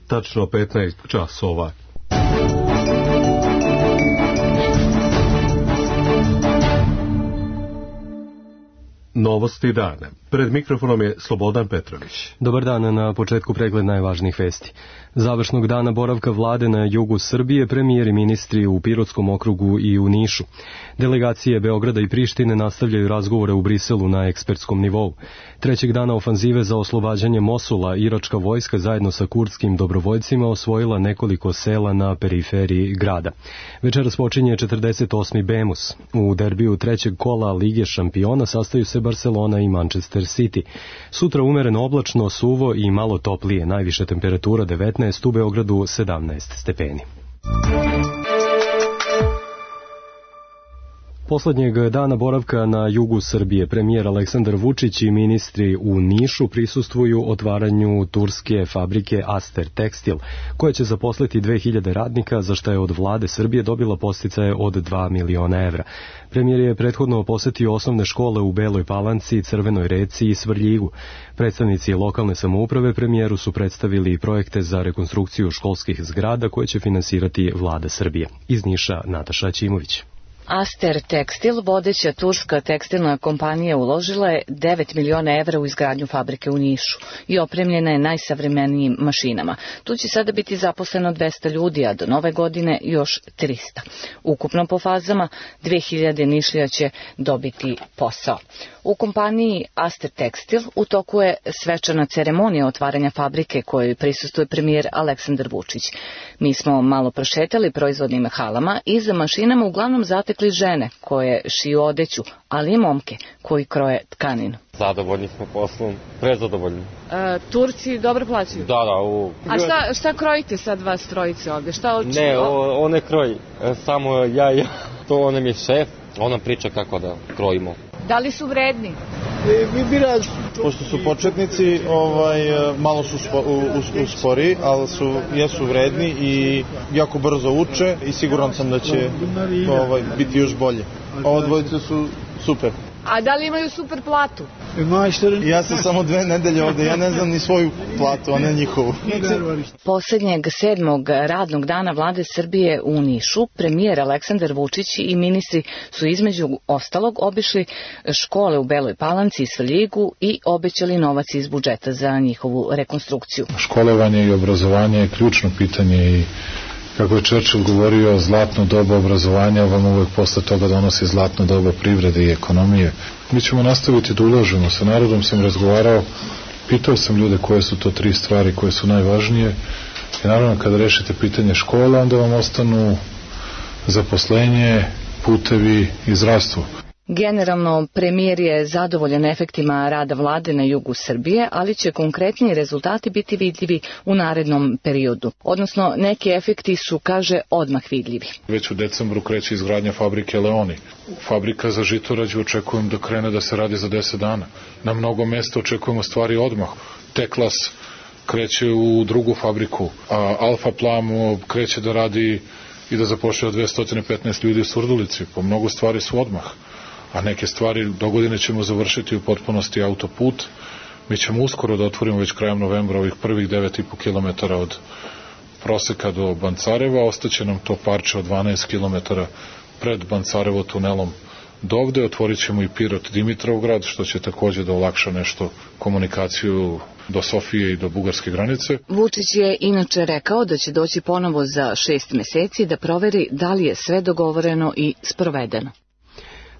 tačno 15 časova. Novosti dana. Pred mikrofonom je Slobodan Petrović. Dobar dan, na početku pregled najvažnijih vesti. Završnog dana boravka vlade na jugu Srbije, premijer i ministri u Pirotskom okrugu i u Nišu. Delegacije Beograda i Prištine nastavljaju razgovore u Briselu na ekspertskom nivou. Trećeg dana ofanzive za oslobađanje Mosula, iračka vojska zajedno sa kurdskim dobrovoljcima osvojila nekoliko sela na periferiji grada. Večeras počinje 48. Bemus. U derbiju trećeg kola Lige šampiona sastaju se Barcelona i Manchester City. Sutra umereno oblačno, suvo i malo toplije, najviša temperatura 19, u Beogradu 17 stepeni. Poslednjeg dana boravka na jugu Srbije premijer Aleksandar Vučić i ministri u Nišu prisustvuju otvaranju turske fabrike Aster Tekstil, koja će zaposliti 2000 radnika, za što je od vlade Srbije dobila podsticaje od 2 miliona evra. Premijer je prethodno posetio osnovne škole u Beloj Palanci, Crvenoj Reci i Svrljigu. Predstavnici lokalne samouprave premijeru su predstavili projekte za rekonstrukciju školskih zgrada koje će finansirati vlada Srbije. Iz Niša Nataša Aćimović. Aster Tekstil, vodeća turska tekstilna kompanija, uložila je 9 miliona evra u izgradnju fabrike u Nišu i opremljena je najsavremenijim mašinama. Tu će sada biti zaposleno 200 ljudi, a do nove godine još 300. Ukupno po fazama 2000 Nišlija će dobiti posao. U kompaniji Aster Tekstil u toku je svečana ceremonija otvaranja fabrike kojoj prisustvuje premijer Aleksandar Vučić. Mi smo malo prošetali proizvodnim halama i za mašinama uglavnom zatekli žene koje šiju odeću, ali i momke koji kroje tkaninu. Zadovoljni smo poslom, prezadovoljni. Turci dobro plaćaju? Da. A šta krojite sad vas trojice ovde? Ne, on ne kroji, samo ja. To on je šef, on nam priča kako da krojimo. Da li su vredni? Pošto su početnici, malo su uspori, ali jesu vredni i jako brzo uče i siguran sam da će biti još bolje. Ovo dvojice su super. A da li imaju super platu? Ja sam samo 2 nedelje ovde, ja ne znam ni svoju platu, a ne njihovu. Poslednjeg 7. radnog dana vlade Srbije u Nišu, premijer Aleksandar Vučić i ministri su između ostalog obišli škole u Beloj Palanci i Svrljigu i obećali novac iz budžeta za njihovu rekonstrukciju. Školovanje i obrazovanje je ključno pitanje i kako je Churchill govorio, zlatno doba obrazovanja vam uvek posle toga donosi zlatno doba privrede i ekonomije. Mi ćemo nastaviti da ulažemo. Sa narodom sam razgovarao, pitao sam ljude koje su to 3 stvari koje su najvažnije. I naravno kada rešite pitanje škola, onda vam ostanu zaposlenje, putevi i zdravstvo. Generalno, premijer je zadovoljan efektima rada vlade na jugu Srbije, ali će konkretniji rezultati biti vidljivi u narednom periodu. Odnosno, neki efekti su, kaže, odmah vidljivi. Već u decembru kreće izgradnja fabrike Leoni. Fabrika za žitorađu očekujem da krene da se radi za 10 dana. Na mnogo mesta očekujemo stvari odmah. Teklas kreće u drugu fabriku, a Alfa Plam kreće da radi i da zapošljava 215 ljudi u Surdulici. Po mnogo stvari su odmah. A neke stvari dogodine ćemo završiti u potpunosti autoput. Mi ćemo uskoro da otvorimo već krajem novembra ovih prvih 9,5 km od Proseka do Bancareva. Ostaće nam to parče od 12 km pred Bancarevo tunelom dovde. Otvorit ćemo i Pirot Dimitrovgrad, što će takođe da olakša nešto komunikaciju do Sofije i do bugarske granice. Vučić je inače rekao da će doći ponovo za 6 meseci da proveri da li je sve dogovoreno i sprovedeno.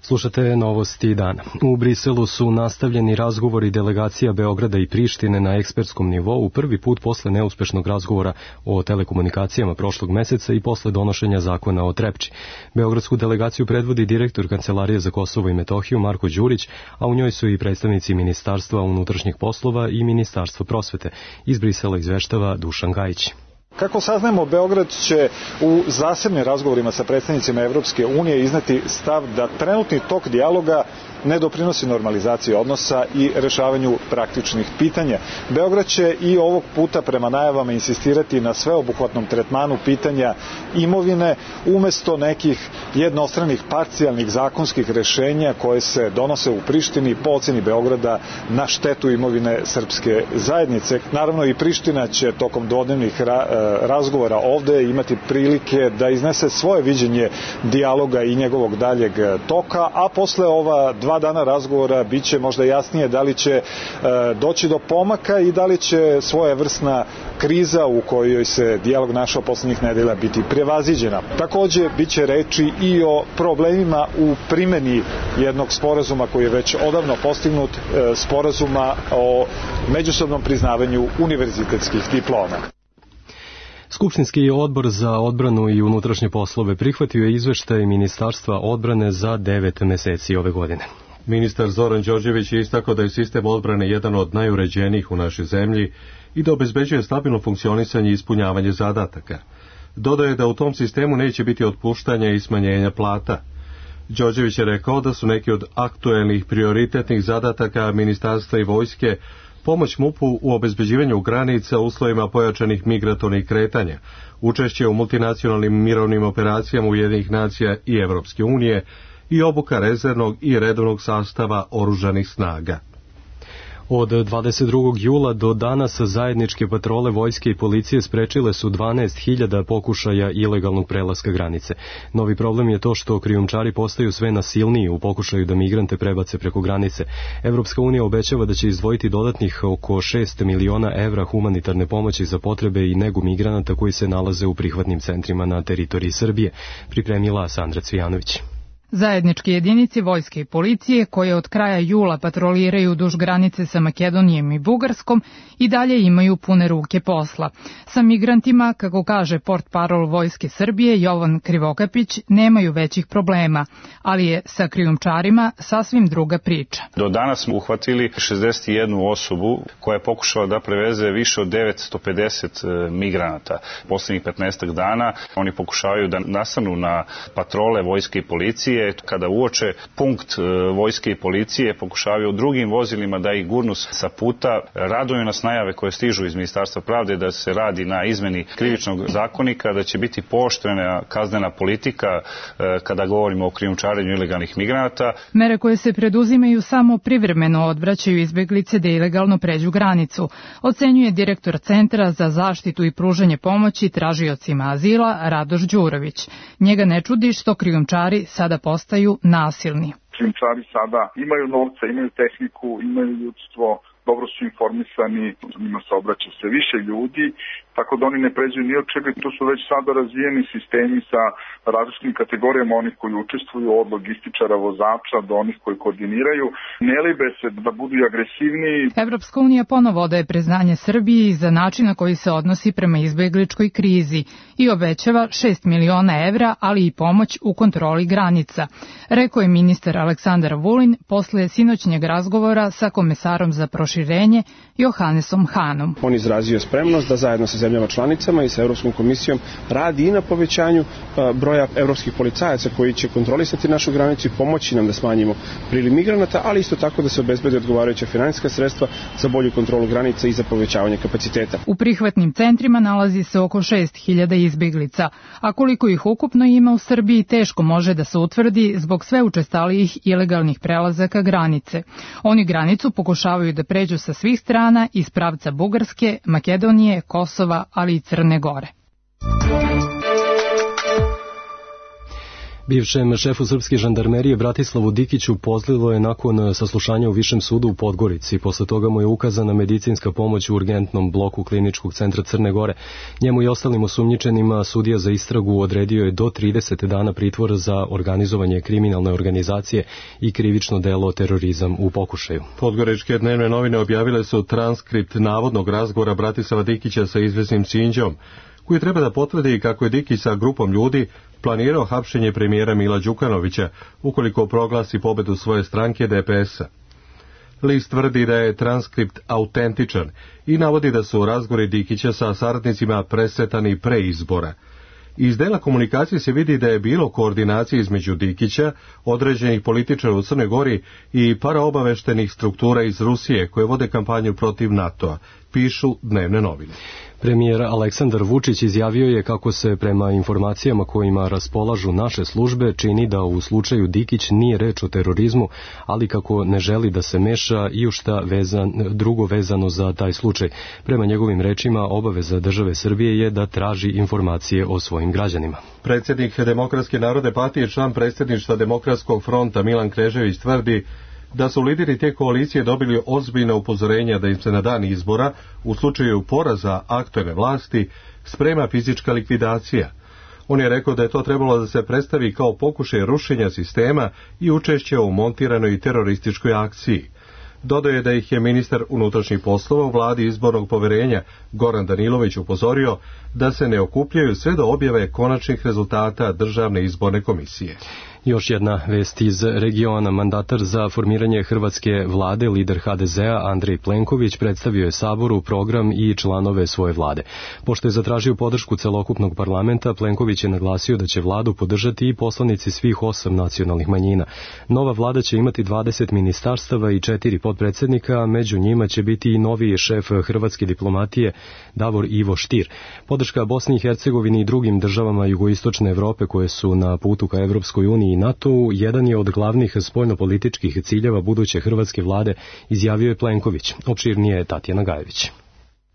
Slušate novosti dana. U Briselu su nastavljeni razgovori delegacija Beograda i Prištine na ekspertskom nivou prvi put posle neuspešnog razgovora o telekomunikacijama prošlog meseca i posle donošenja zakona o Trepči. Beogradsku delegaciju predvodi direktor Kancelarije za Kosovo i Metohiju Marko Đurić, a u njoj su i predstavnici Ministarstva unutrašnjih poslova i Ministarstva prosvete. Iz Brisela izveštava Dušan Gajić. Kako saznajemo, Beograd će u zasebnim razgovorima sa predstavnicima Evropske unije izneti stav da trenutni tok dijaloga ne doprinosi normalizaciji odnosa i rešavanju praktičnih pitanja. Beograd će i ovog puta prema najavama insistirati na sveobuhvatnom tretmanu pitanja imovine umesto nekih jednostranih parcijalnih zakonskih rešenja koje se donose u Prištini po oceni Beograda na štetu imovine srpske zajednice. Naravno i Priština će tokom dvodnevnih razgovora ovde imati prilike da iznese svoje viđenje dijaloga i njegovog daljeg toka, a posle ova 2 dana razgovora biće možda jasnije da li će doći do pomaka i da li će svojevrsna kriza u kojoj se dijalog našao poslednjih nedelja biti prevaziđena. Takođe, biće reči i o problemima u primeni jednog sporazuma koji je već odavno postignut, sporazuma o međusobnom priznavanju univerzitetskih diploma. Skupštinski odbor za odbranu i unutrašnje poslove prihvatio je izveštaj Ministarstva odbrane za 9 meseci ove godine. Ministar Zoran Đorđević je istakao da je sistem odbrane jedan od najuređenijih u našoj zemlji i da obezbeđuje stabilno funkcionisanje i ispunjavanje zadataka. Dodao je da u tom sistemu neće biti otpuštanja i smanjenja plata. Đorđević je rekao da su neki od aktuelnih prioritetnih zadataka ministarstva i vojske pomoć MUP-u u obezbeđivanju granica u uslovima pojačanih migratornih kretanja, učešće u multinacionalnim mirovnim operacijama Ujedinjenih nacija i Evropske unije i obuka rezervnog i redovnog sastava oružanih snaga. Od 22. jula do danas zajedničke patrole vojske i policije sprečile su 12.000 pokušaja ilegalnog prelaska granice. Novi problem je to što krijumčari postaju sve nasilniji u pokušaju da migrante prebace preko granice. Evropska unija obećava da će izdvojiti dodatnih oko 6 miliona evra humanitarne pomoći za potrebe i negu migranata koji se nalaze u prihvatnim centrima na teritoriji Srbije, pripremila Sandra Cvijanović. Zajedničke jedinice vojske i policije, koje od kraja jula patroliraju duž granice sa Makedonijom i Bugarskom, i dalje imaju pune ruke posla. Sa migrantima, kako kaže portparol Vojske Srbije Jovan Krivokapić, nemaju većih problema, ali je sa krijumčarima sasvim druga priča. Do danas smo uhvatili 61 osobu koja je pokušala da preveze više od 950 migranata. Poslednjih 15 dana oni pokušavaju da nastanu na patrole vojske i policije. Kada uoče punkt vojske i policije, pokušavaju drugim vozilima da ih gurnu sa puta. Raduju nas najave koje stižu iz Ministarstva pravde da se radi na izmeni krivičnog zakonika, da će biti pooštrena kaznena politika kada govorimo o krijumčarenju ilegalnih migranata. Mere koje se preduzimaju samo privremeno odvraćaju izbeglice da ilegalno pređu granicu, ocenjuje direktor Centra za zaštitu i pružanje pomoći tražiocima azila Radoš Đurović. Njega ne čudi što krijumčari sada postaju nasilni. Krijumčari sada imaju novca, imaju tehniku, imaju ljudstvo, dobro su informisani, njima se obraća sve više ljudi, tako da oni ne pređu ni od čega. Tu su već sada razvijeni sistemi sa različitim kategorijama onih koji učestvuju, od logističara, vozača do onih koji koordiniraju. Ne libe se da budu agresivniji. Evropska unija ponovo odaje priznanje Srbiji za način na koji se odnosi prema izbegličkoj krizi i obećava 6 miliona evra, ali i pomoć u kontroli granica, rekao je ministar Aleksandar Vulin posle sinoćnjeg razgovora sa komesarom za proširenje Johannesom Hanom. On izrazio spremnost da zajedno sa zemljama članicama i sa Evropskom komisijom radi i na povećanju broja evropskih policajaca koji će kontrolisati našu granicu i pomoći nam da smanjimo priliv migranata, ali isto tako da se obezbede odgovarajuća finansijska sredstva za bolju kontrolu granica i za povećavanje kapaciteta. U prihvatnim centrima nalazi se oko 6.000 izbeglica, a koliko ih ukupno ima u Srbiji teško može da se utvrdi zbog sve učestalijih ilegalnih prelazaka granice. Oni granicu pokušavaju da pređu sa svih strana iz pravca Bugarske, Makedonije, Kosova, ali i Crne Gore. Bivšem šefu srpske žandarmerije Bratislavu Dikiću pozlilo je nakon saslušanja u Višem sudu u Podgorici. Posle toga mu je ukazana medicinska pomoć u urgentnom bloku Kliničkog centra Crne Gore. Njemu i ostalim osumnjičenima sudija za istragu odredio je do 30 dana pritvora za organizovanje kriminalne organizacije i krivično delo terorizam u pokušaju. Podgoričke dnevne novine objavile su transkript navodnog razgovora Bratislava Dikića sa izvesnim Sinđom, koji treba da potvrdi kako je Dikić sa grupom ljudi planirao hapšenje premijera Mila Đukanovića ukoliko proglasi pobedu svoje stranke DPS-a. List tvrdi da je transkript autentičan i navodi da su razgovori Dikića sa saradnicima presretani pre izbora. Iz dela komunikacije se vidi da je bilo koordinacije između Dikića, određenih političara u Crnoj Gori i paraobaveštenih struktura iz Rusije koje vode kampanju protiv NATO-a, pišu dnevne novine. Premijer Aleksandar Vučić izjavio je kako se prema informacijama kojima raspolažu naše službe čini da u slučaju Dikić nije reč o terorizmu, ali kako ne želi da se meša i u šta drugo vezano za taj slučaj. Prema njegovim rečima, obaveza države Srbije je da traži informacije o svojim građanima. Predsjednik Demokratske narodne partije, član predsjedništva Demokratskog fronta Milan Knežević tvrdi da su lideri te koalicije dobili ozbiljna upozorenja da im se na dan izbora, u slučaju poraza aktuelne vlasti, sprema fizička likvidacija. On je rekao da je to trebalo da se predstavi kao pokušaj rušenja sistema i učešće u montiranoj terorističkoj akciji. Dodao je da ih je ministar unutrašnjih poslova u vladi izbornog poverenja Goran Danilović upozorio da se ne okupljaju sve do objave konačnih rezultata Državne izborne komisije. Još jedna vest iz regiona. Mandatar za formiranje hrvatske vlade, lider HDZ-a Andrej Plenković, predstavio je Saboru program i članove svoje vlade. Pošto je zatražio podršku celokupnog parlamenta, Plenković je naglasio da će vladu podržati i poslanici svih 8 nacionalnih manjina. Nova vlada će imati 20 ministarstava i 4 potpredsjednika, a među njima će biti i novi šef hrvatske diplomatije Davor Ivo Stier. Podrška Bosni i Hercegovini i drugim državama jugoistočne Evrope koje su na putu ka Evropskoj uniji i NATO-u jedan je od glavnih spoljnopolitičkih ciljeva buduće hrvatske vlade, izjavio je Plenković. Opširnije je Tatjana Gajević.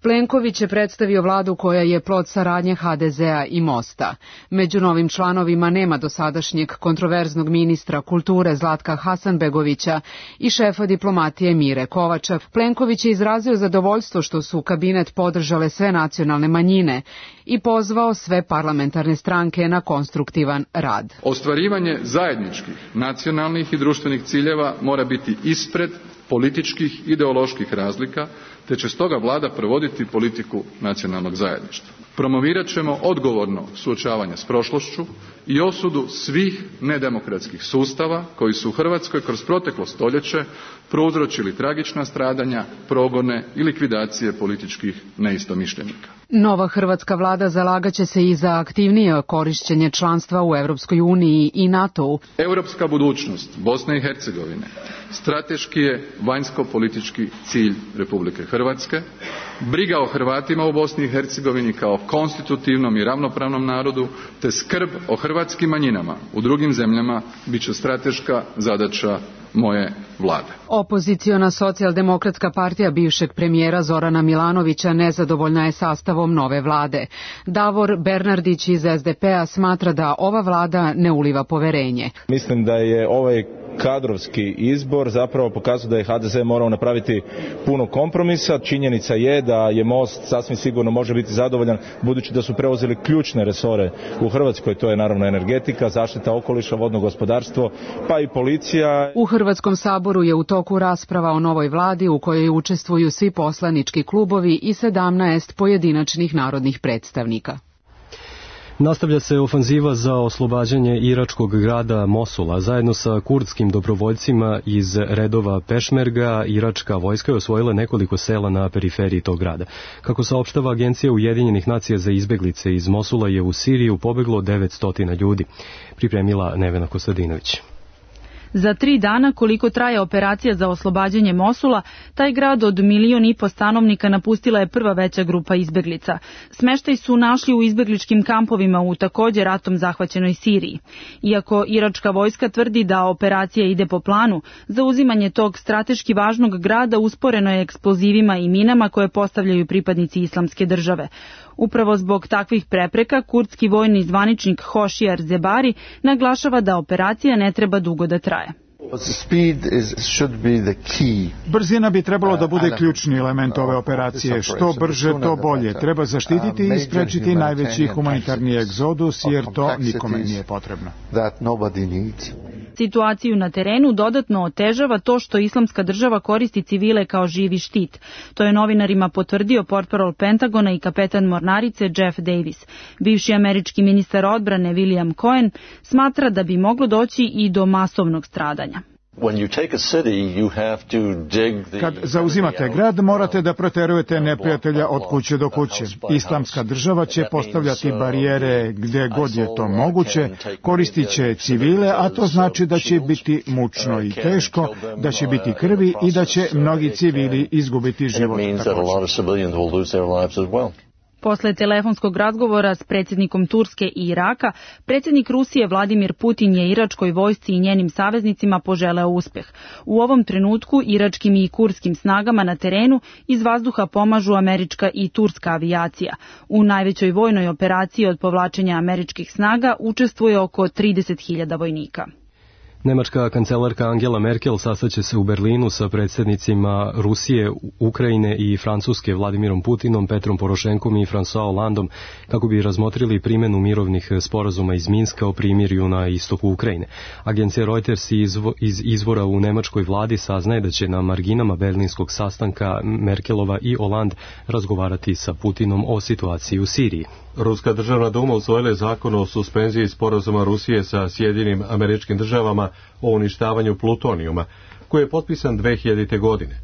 Plenković je predstavio vladu koja je plod saradnje HDZ-a i Mosta. Među novim članovima nema dosadašnjeg kontroverznog ministra kulture Zlatka Hasanbegovića i šefa diplomatije Mire Kovača. Plenković je izrazio zadovoljstvo što su kabinet podržale sve nacionalne manjine i pozvao sve parlamentarne stranke na konstruktivan rad. Ostvarivanje zajedničkih, nacionalnih i društvenih ciljeva mora biti ispred političkih ideoloških razlika, te će stoga vlada provoditi politiku nacionalnog zajedništva. Promovirat ćemo odgovorno suočavanje s prošlošću i osudu svih nedemokratskih sustava koji su u Hrvatskoj kroz proteklo stoljeće prouzročili tragična stradanja, progone i likvidacije političkih neistomišljenika. Nova hrvatska vlada zalagaće se i za aktivnije korišćenje članstva u Europskoj uniji i NATO-u. Europska budućnost Bosne i Hercegovine strateški je vanjsko-politički cilj Republike Hrvatske. Briga o Hrvatima u Bosni i Hercegovini kao konstitutivnom i ravnopravnom narodu, te skrb o hrvatskim manjinama u drugim zemljama bit će strateška zadaća moje vlade. Opoziciona socijaldemokratska partija bivšeg premijera Zorana Milanovića nezadovoljna je sastavom nove vlade. Davor Bernardić iz SDP-a smatra da ova vlada ne uliva poverenje. Mislim da je ovaj kadrovski izbor zapravo pokazuje da je HDZ morao napraviti puno kompromisa. Činjenica je da je Most sasvim sigurno može biti zadovoljan budući da su preuzeli ključne resore u Hrvatskoj, to je naravno energetika, zaštita okoliša, vodno gospodarstvo, pa i policija. U Hrvatskom saboru je u toku rasprava o novoj vladi u kojoj učestvuju svi poslanički klubovi i 17 pojedinačnih narodnih predstavnika. Nastavlja se ofanziva za oslobađanje iračkog grada Mosula. Zajedno sa kurdskim dobrovoljcima iz redova Pešmerga, iračka vojska je osvojila nekoliko sela na periferiji tog grada. Kako saopštava Agencija Ujedinjenih nacija za izbeglice, iz Mosula je u Siriju pobeglo 900 ljudi. Pripremila Nevena Kostadinović. Za 3 dana, koliko traje operacija za oslobađanje Mosula, taj grad od 1,5 miliona stanovnika napustila je prva veća grupa izbeglica. Smeštaj su našli u izbegličkim kampovima u također ratom zahvaćenoj Siriji. Iako iračka vojska tvrdi da operacija ide po planu, zauzimanje tog strateški važnog grada usporeno je eksplozivima i minama koje postavljaju pripadnici Islamske države. Upravo zbog takvih prepreka, kurdski vojni zvaničnik Hošijar Zebari naglašava da operacija ne treba dugo da traje. Brzina bi trebalo da bude ključni element ove operacije. Što brže, to bolje. Treba zaštititi i sprečiti najveći humanitarni egzodus, jer to nikome nije potrebno. Situaciju na terenu dodatno otežava to što Islamska država koristi civile kao živi štit. To je novinarima potvrdio portparol Pentagona i kapetan mornarice Jeff Davis. Bivši američki ministar odbrane William Cohen smatra da bi moglo doći i do masovnog stradanja. Kad zauzimate grad, morate da proterujete neprijatelja od kuće do kuće. Islamska država će postavljati barijere gdje god je to moguće, koristit će civile, a to znači da će biti mučno i teško, da će biti krvi i da će mnogi civili izgubiti život također. Posle telefonskog razgovora s predsjednikom Turske i Iraka, predsjednik Rusije Vladimir Putin je iračkoj vojsci i njenim saveznicima poželeo uspeh. U ovom trenutku iračkim i kurskim snagama na terenu iz vazduha pomažu američka i turska avijacija. U najvećoj vojnoj operaciji od povlačenja američkih snaga učestvuje oko 30.000 vojnika. Nemačka kancelarka Angela Merkel sastaće se u Berlinu sa predsjednicima Rusije, Ukrajine i Francuske Vladimirom Putinom, Petrom Porošenkom i François Hollandom kako bi razmotrili primjenu mirovnih sporazuma iz Minska o primirju na istoku Ukrajine. Agencija Reuters iz izvora u nemačkoj vladi saznaje da će na marginama berlinskog sastanka Merkelova i Hollande razgovarati sa Putinom o situaciji u Siriji. Ruska državna duma usvojila je zakon o suspenziji sporazuma Rusije sa Sjedinjenim Američkim Državama o uništavanju plutonijuma, koji je potpisan 2000. godine.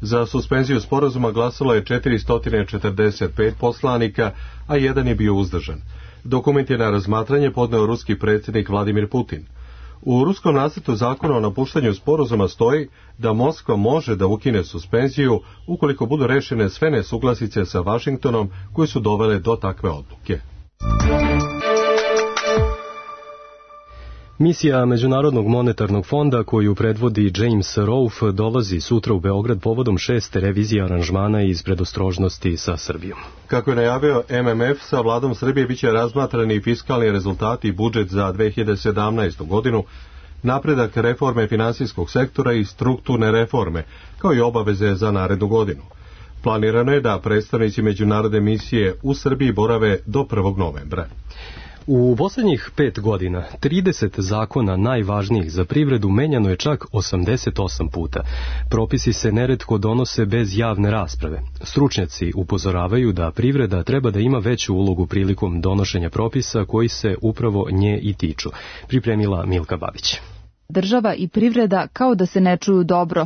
Za suspenziju sporazuma glasalo je 445 poslanika, a jedan je bio uzdržan. Dokument je na razmatranje podneo ruski predsjednik Vladimir Putin. U ruskom nacrtu zakona o napuštanju sporazuma stoji da Moskva može da ukine suspenziju ukoliko budu rešene sve nesuglasice sa Vašingtonom koje su dovele do takve odluke. Misija Međunarodnog monetarnog fonda koju predvodi James Rolfe dolazi sutra u Beograd povodom 6. revizije aranžmana iz predostrožnosti sa Srbijom. Kako je najavio MMF, sa vladom Srbije biće razmatrani fiskalni rezultati i budžet za 2017. godinu, napredak reforme finansijskog sektora i strukturne reforme, kao i obaveze za narednu godinu. Planirano je da predstavnici međunarodne misije u Srbiji borave do 1. novembra. U posljednjih 5 godina 30 zakona najvažnijih za privredu menjano je čak 88 puta. Propisi se neretko donose bez javne rasprave. Stručnjaci upozoravaju da privreda treba da ima veću ulogu prilikom donošenja propisa koji se upravo nje i tiču. Pripremila Milka Babić. Država i privreda kao da se ne čuju dobro.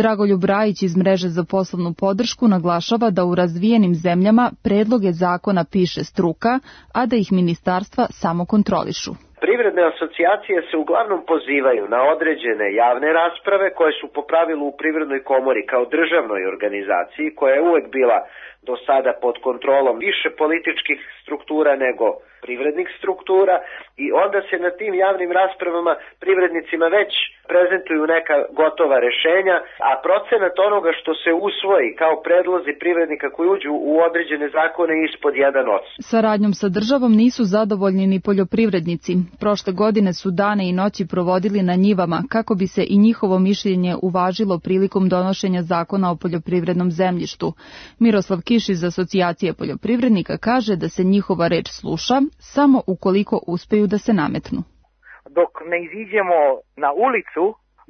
Dragoljub Rajić iz Mreže za poslovnu podršku naglašava da u razvijenim zemljama predloge zakona piše struka, a da ih ministarstva samo kontrolišu. Privredne asocijacije se uglavnom pozivaju na određene javne rasprave koje su po pravilu u Privrednoj komori kao državnoj organizaciji koja je uvek bila do sada pod kontrolom više političkih struktura nego privrednih struktura i onda se na tim javnim raspravama privrednicima već prezentuju neka gotova rešenja, a procenat onoga što se usvoji kao predlozi privrednika koji uđu u određene zakone ispod 1%. Saradnjom sa državom nisu zadovoljni ni poljoprivrednici. Prošle godine su dane i noći provodili na njivama kako bi se i njihovo mišljenje uvažilo prilikom donošenja zakona o poljoprivrednom zemljištu. Miroslav Kiš iz Asocijacije poljoprivrednika kaže da se njihova reč sluša samo ukoliko uspeju da se nametnu. Dok ne iziđemo na ulicu,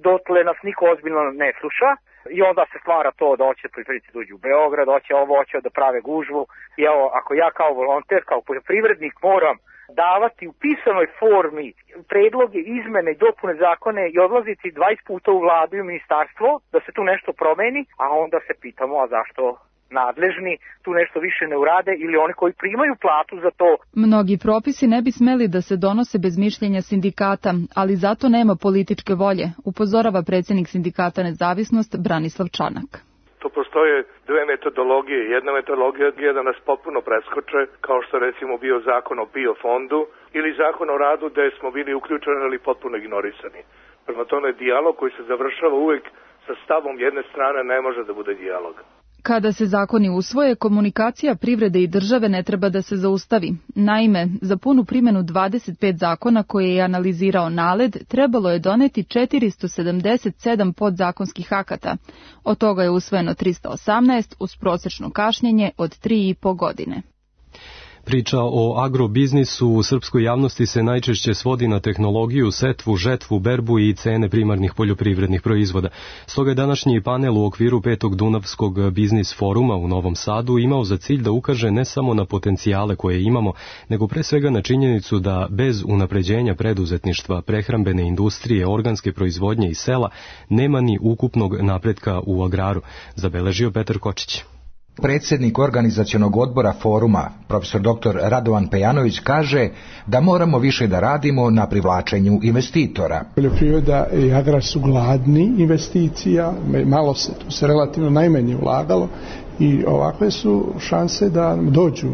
dotle nas niko ozbiljno ne sluša i onda se stvara to da hoće poljoprivrednici dođu u Beograd, hoće da prave gužvu. I evo, ako ja kao volonter, kao poljoprivrednik moram davati u pisanoj formi predloge, izmene i dopune zakone i odlaziti 20 puta u vladu i u ministarstvo da se tu nešto promeni, a onda se pitamo a zašto nadležni tu nešto više ne urade ili oni koji primaju platu za to. Mnogi propisi ne bi smeli da se donose bez mišljenja sindikata, ali zato nema političke volje, upozorava predsjednik sindikata Nezavisnost Branislav Čanak. Tu postoje dve metodologije. Jedna metodologija je da nas potpuno preskoče, kao što recimo bio zakon o biofondu ili zakon o radu gde smo bili uključeni ali potpuno ignorisani. Prema tome, dijalog koji se završava uvek sa stavom jedne strane ne može da bude dijalog. Kada se zakoni usvoje, komunikacija privrede i države ne treba da se zaustavi. Naime, za punu primjenu 25 zakona koje je analizirao NALED, trebalo je doneti 477 podzakonskih akata. Od toga je usvojeno 318 uz prosječno kašnjenje od 3,5 godine. Priča o agrobiznisu u srpskoj javnosti se najčešće svodi na tehnologiju, setvu, žetvu, berbu i cene primarnih poljoprivrednih proizvoda. Stoga je današnji panel u okviru 5. Dunavskog biznis foruma u Novom Sadu imao za cilj da ukaže ne samo na potencijale koje imamo, nego pre svega na činjenicu da bez unapređenja preduzetništva, prehrambene industrije, organske proizvodnje i sela nema ni ukupnog napretka u agraru, zabeležio Petar Kočić. Predsjednik organizacionog odbora foruma, profesor dr. Radovan Pejanović, kaže da moramo više da radimo na privlačenju investitora. Poljoprivreda i agrar su gladni investicija, malo se, tu se relativno najmanje ulagalo i ovakve su šanse da dođu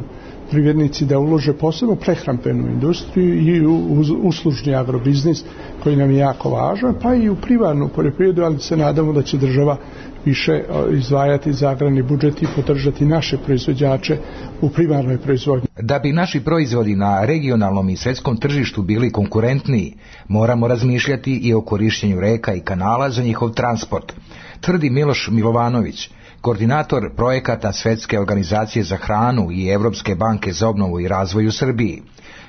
privrednici da ulože posebno prehrambenu industriju i u uslužni agrobiznis koji nam je jako važan, pa i u primarnu poljoprivredu, ali se nadamo da će država više izdvajati za agrarni budžet i podržati naše proizvođače u primarnoj proizvodnji. Da bi naši proizvodi na regionalnom i svjetskom tržištu bili konkurentniji, moramo razmišljati i o korištenju reka i kanala za njihov transport, tvrdi Miloš Milovanović, koordinator projekata Svjetske organizacije za hranu i Evropske banke za obnovu i razvoj u Srbiji.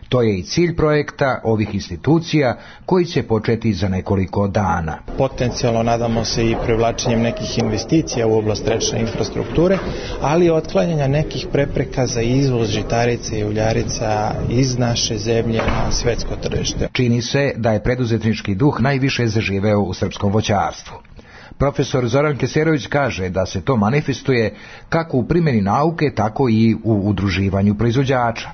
To je i cilj projekta ovih institucija koji će početi za nekoliko dana. Potencijalno nadamo se i privlačenjem nekih investicija u oblast rečne infrastrukture, ali i otklanjanja nekih prepreka za izvoz žitarica i uljarica iz naše zemlje na svjetsko tržište. Čini se da je preduzetnički duh najviše zaživeo u srpskom voćarstvu. Profesor Zoran Keserović kaže da se to manifestuje kako u primjeni nauke, tako i u udruživanju proizvođača.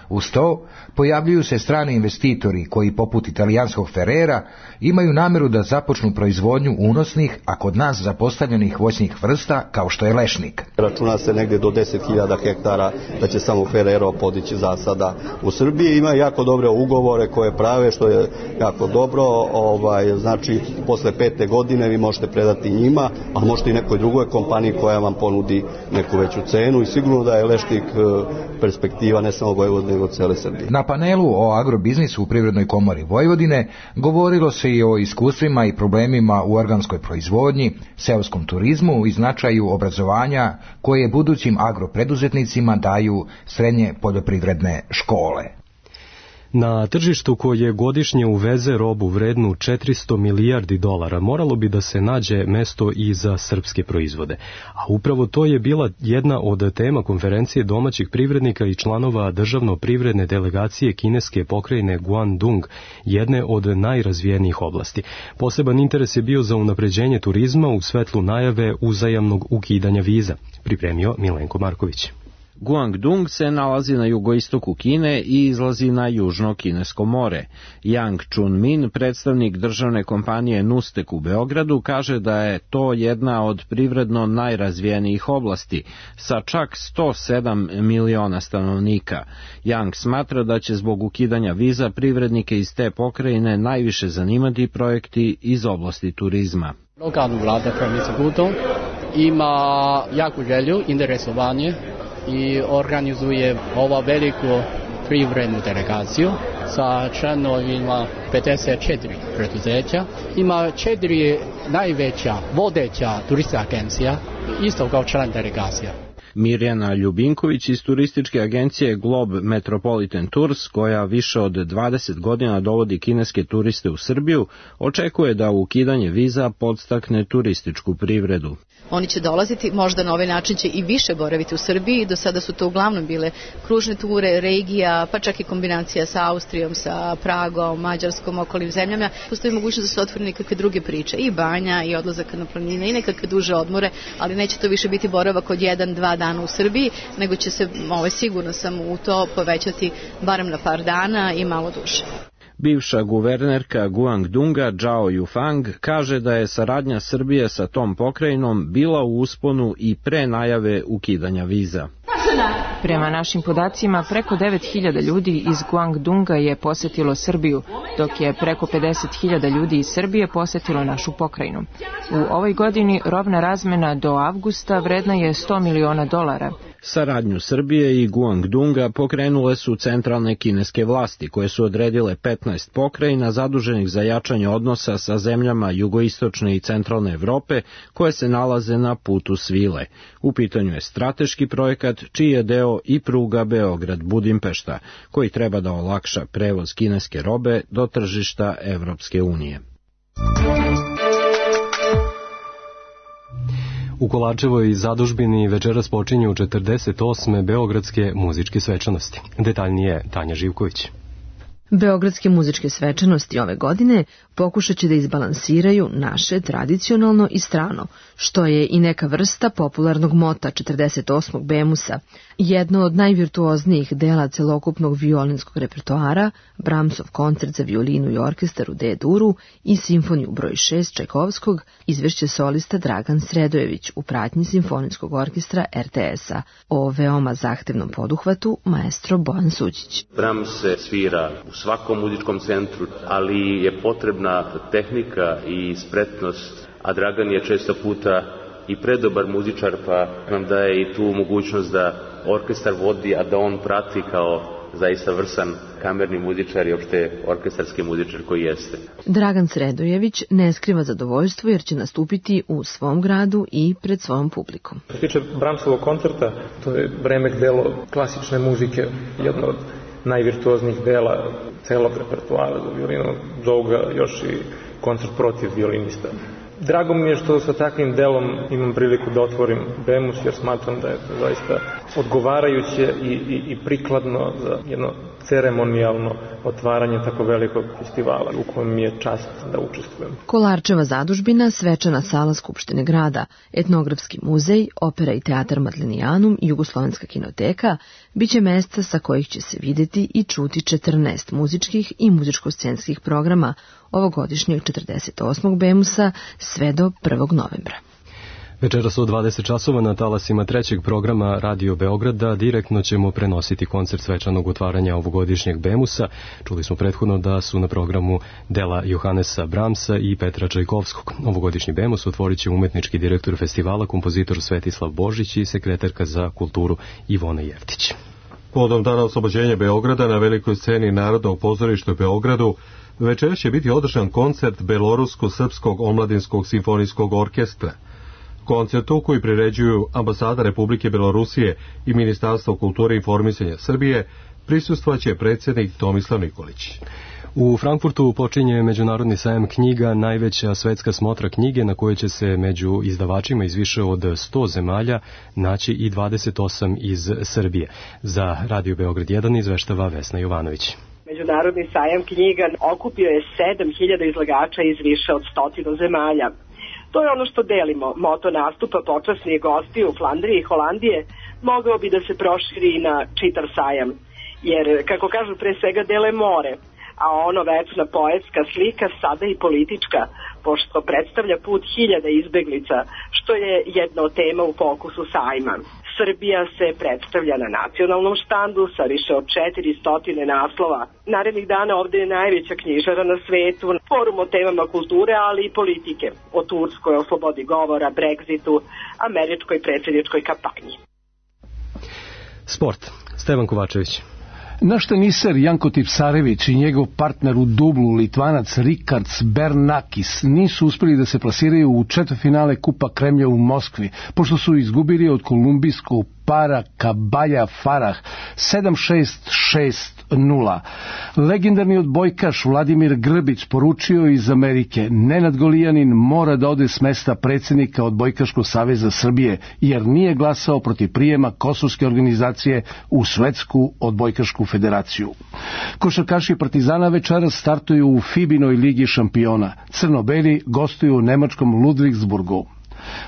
Uz to pojavljuju se strani investitori koji, poput italijanskog Ferrera, imaju namjeru da započnu proizvodnju unosnih, a kod nas zapostavljenih voćnih vrsta kao što je lešnik. Računa se negdje do 10.000 hektara da će samo Ferrero podići zasada u Srbiji. Ima jako dobre ugovore koje prave, što je jako dobro. Znači, posle 5. godine vi možete predati njima, a možete i nekoj drugoj kompaniji koja vam ponudi neku veću cenu i sigurno da je lešnik perspektiva ne samo Vojvodine, nego cele Srbije. Na panelu o agrobiznisu u Privrednoj komori Vojvodine govorilo se i o iskustvima i problemima u organskoj proizvodnji, seoskom turizmu i značaju obrazovanja koje budućim agropreduzetnicima daju srednje poljoprivredne škole. Na tržištu koje godišnje uveze robu vrednu 400 milijardi dolara moralo bi da se nađe mesto i za srpske proizvode. A upravo to je bila jedna od tema konferencije domaćih privrednika i članova državno-privredne delegacije kineske pokrajine Guangdong, jedne od najrazvijenijih oblasti. Poseban interes je bio za unapređenje turizma u svetlu najave uzajamnog ukidanja viza, pripremio Milenko Marković. Guangdong se nalazi na jugoistoku Kine i izlazi na južno kinesko more. Yang Chunmin, predstavnik državne kompanije Nustek u Beogradu, kaže da je to jedna od privredno najrazvijenijih oblasti, sa čak 107 miliona stanovnika. Yang smatra da će zbog ukidanja viza privrednike iz te pokrajine najviše zanimati projekti iz oblasti turizma. Lokalna vlada provincije Guangdong ima jaku želju, interesovanje i organizuje ovu veliku privrednu delegaciju sa članovima 54 preduzeća. Ima 4 najveća vodeća turistička agencija, isto kao član delegacija. Mirjana Ljubinković iz turističke agencije Globe Metropolitan Tours, koja više od 20 godina dovodi kineske turiste u Srbiju, očekuje da ukidanje viza podstakne turističku privredu. Oni će dolaziti, možda na ovaj način će i više boraviti u Srbiji. Do sada su to uglavnom bile kružne ture, regija, pa čak i kombinacija sa Austrijom, sa Pragom, Mađarskom, okolnim zemljama. Postoji mogućnost da se otvore nekakve druge priče, i banja, i odlazak na planine, i nekakve duže odmore, ali neće to više biti boravak od 1-2 dana u Srbiji, nego će se, sigurno sam u to, povećati barem na par dana i malo duže. Bivša guvernerka Guangdonga Zhao Yufang kaže da je saradnja Srbije sa tom pokrajinom bila u usponu i pre najave ukidanja viza. Prema našim podacima, preko 9.000 ljudi iz Guangdonga je posetilo Srbiju, dok je preko 50.000 ljudi iz Srbije posetilo našu pokrajinu. U ovoj godini robna razmena do avgusta vredna je $100 miliona. Saradnju Srbije i Guangdonga pokrenule su centralne kineske vlasti, koje su odredile 15 pokrajina zaduženih za jačanje odnosa sa zemljama jugoistočne i centralne Evrope, koje se nalaze na putu svile. U pitanju je strateški projekat čiji je deo i pruga Beograd-Budimpešta, koji treba da olakša prevoz kineske robe do tržišta Evropske unije. U Kolarčevoj zadužbini večeras počinju 48. beogradske muzičke svečanosti. Detaljnije Tanja Živković. Beogradske muzičke svečanosti ove godine pokušat će da izbalansiraju naše tradicionalno i strano, što je i neka vrsta popularnog mota 48. Bemusa, jedno od najvirtuoznijih dela celokupnog violinskog repertoara, Brahmsov koncert za violinu i orkestar u D-duru i simfoniju broj 6 Čajkovskog, izvešće solista Dragan Sredojević u pratnji simfonijskog orkestra RTS-a. O veoma zahtevnom poduhvatu maestro Bojan Suđić. Brahms se svira u svakom muzičkom centru, ali je potrebna tehnika i spretnost, a Dragan je često puta i predobar muzičar, pa nam daje i tu mogućnost da orkestar vodi, a da on prati kao zaista vrsan kamerni muzičar i opšte orkestarski muzičar koji jeste. Dragan Sredojević ne skriva zadovoljstvo jer će nastupiti u svom gradu i pred svojom publikom. Što se tiče Brahmsovog koncerta, to je remek delo klasične muzike, jedno od najvirtuoznijih dela celog repertoara za violinu, zovu ga još i koncert protiv violinista. Drago mi je što sa takvim delom imam priliku da otvorim Bemus, jer smatram da je to zaista odgovarajuće i prikladno za jedno ceremonijalno otvaranje tako velikog festivala u kojem mi je čast da učestvujem. Kolarčeva zadužbina, svečana sala Skupštine grada, etnografski muzej, opera i teatar Madlenijanum i Jugoslovenska kinoteka biće mesta sa kojih će se videti i čuti 14 muzičkih i muzičko-scenskih programa ovogodišnjeg 48. Bemusa sve do 1. novembra. Večeras od 20 časova na talasima trećeg programa Radio Beograda direktno ćemo prenositi koncert svečanog otvaranja ovogodišnjeg Bemusa. Čuli smo prethodno da su na programu dela Johannesa Brahmsa i Petra Čajkovskog. Ovogodišnji Bemus otvorit će umetnički direktor festivala, kompozitor Svetislav Božić i sekretarka za kulturu Ivona Jeftić. Povodom dana oslobođenja Beograda na velikoj sceni Narodnog pozorišta u Beogradu večeras će biti održan koncert Belorusko-srpskog omladinskog simfonijskog orkestra. Koncertu koji priređuju Ambasada Republike Belorusije i Ministarstvo kulture i informisanja Srbije prisustvovaće predsjednik Tomislav Nikolić. U Frankfurtu počinje Međunarodni sajam knjiga, najveća svetska smotra knjige na kojoj će se među izdavačima iz više od 100 zemalja naći i 28 iz Srbije. Za Radio Beograd 1 izveštava Vesna Jovanović. Međunarodni sajam knjiga okupio je 7.000 izlagača iz više od 100 zemalja. To je ono što delimo. Moto nastupa počasnih gostiju u Flandriji i Holandije mogao bi da se proširi i na čitav sajam. Jer, kako kažu, pre svega dele more, a ono večna poetska slika, sada i politička, pošto predstavlja put hiljada izbeglica, što je jedna od tema u fokusu sajma. Srbija se predstavlja na nacionalnom štandu sa više od 400 naslova. Narednih dana ovde je najveća knjižara na svetu, forum o temama kulture, ali i politike, o Turskoj, o slobodi govora, Brexitu, američkoj predsjedničkoj kampanji. Sport. Stevan Kovačević. Naš teniser Janko Tipsarević i njegov partner u dublu Litvanac Rikards Bernakis nisu uspeli da se plasiraju u četvrtfinale Kupa Kremlja u Moskvi, pošto su izgubili od kolumbijskog para Kabalja Farah 7-6-6-0. Legendarni odbojkaš Vladimir Grbić poručio iz Amerike: Nenad Golijanin mora da ode s mesta predsjednika Odbojkaškog saveza Srbije, jer nije glasao protiv prijema kosovske organizacije u Svetsku odbojkašku federaciju. Košarkaši Partizana večeras startuju u FIBA-inoj ligi šampiona. Crno-beli gostuju u nemačkom Ludwigsburgu.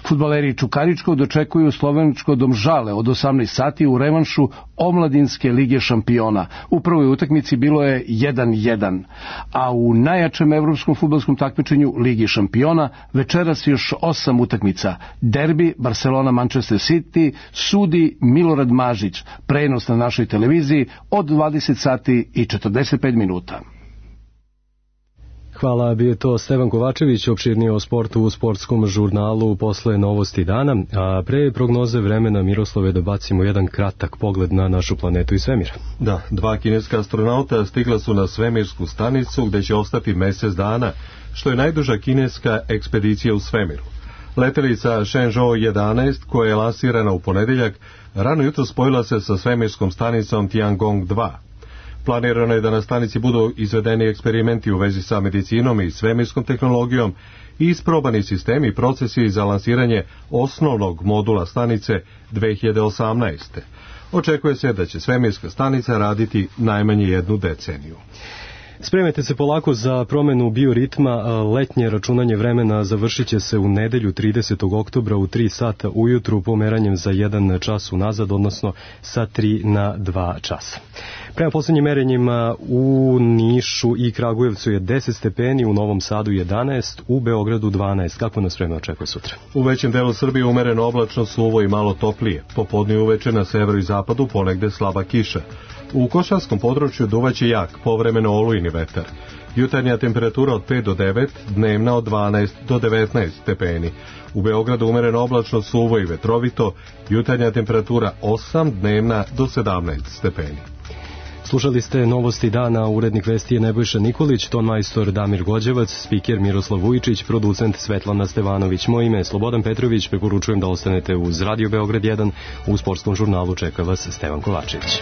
Fudbaleri Čukaričkog dočekuju slovenačko Domžale od 18 sati u revanšu omladinske lige šampiona. U prvoj utakmici bilo je 1-1, a u najjačem evropskom fudbalskom takmičenju Ligi šampiona večeras još 8 utakmica. Derbi Barcelona-Manchester City sudi Milorad Mažić. Prenos na našoj televiziji od 20 sati i 45 minuta. Hvala, bio je to Stevan Kovačević, opširnije o sportu u sportskom žurnalu posle novosti dana, a pre prognoze vremena, Miroslave, da bacimo jedan kratak pogled na našu planetu i svemir. Da, 2 kineska astronauta stigla su na svemirsku stanicu gde će ostati mesec dana, što je najduža kineska ekspedicija u svemiru. Letelica Shenzhou 11, koja je lansirana u ponedeljak, rano jutro spojila se sa svemirskom stanicom Tiangong 2. Planirano je da na stanici budu izvedeni eksperimenti u vezi sa medicinom i svemirskom tehnologijom i isprobani sistemi i procesi za lansiranje osnovnog modula stanice 2018. Očekuje se da će svemirska stanica raditi najmanje 1 deceniju. Spremite se polako za promenu bioritma. Letnje računanje vremena završit će se u nedelju 30. oktobra u 3 sata ujutru pomeranjem za 1 čas unazad, odnosno sa 3 na 2 časa. Prema posljednjim merenjima u Nišu i Kragujevcu je 10 stepeni, u Novom Sadu 11, u Beogradu 12. Kako nas vreme očekuje sutra? U većem delu Srbije umereno oblačno, suvo i malo toplije. Popodne i uveče na severu i zapadu ponegde slaba kiša. U Košarskom području duvaće jak, povremeno olujni vetar. Jutarnja temperatura od 5 do 9, dnevna od 12 do 19 stepeni. U Beogradu umereno oblačno, suvo i vetrovito, jutarnja temperatura 8, dnevna do 17 stepeni. Slušali ste novosti dana, urednik vesti je Nebojša Nikolić, tonmajstor Damir Gođevac, spiker Miroslav Vujičić, producent Svetlana Stevanović. Moje ime je Slobodan Petrović, preporučujem da ostanete uz Radio Beograd 1, u sportskom žurnalu čeka vas Stevan Kovačević.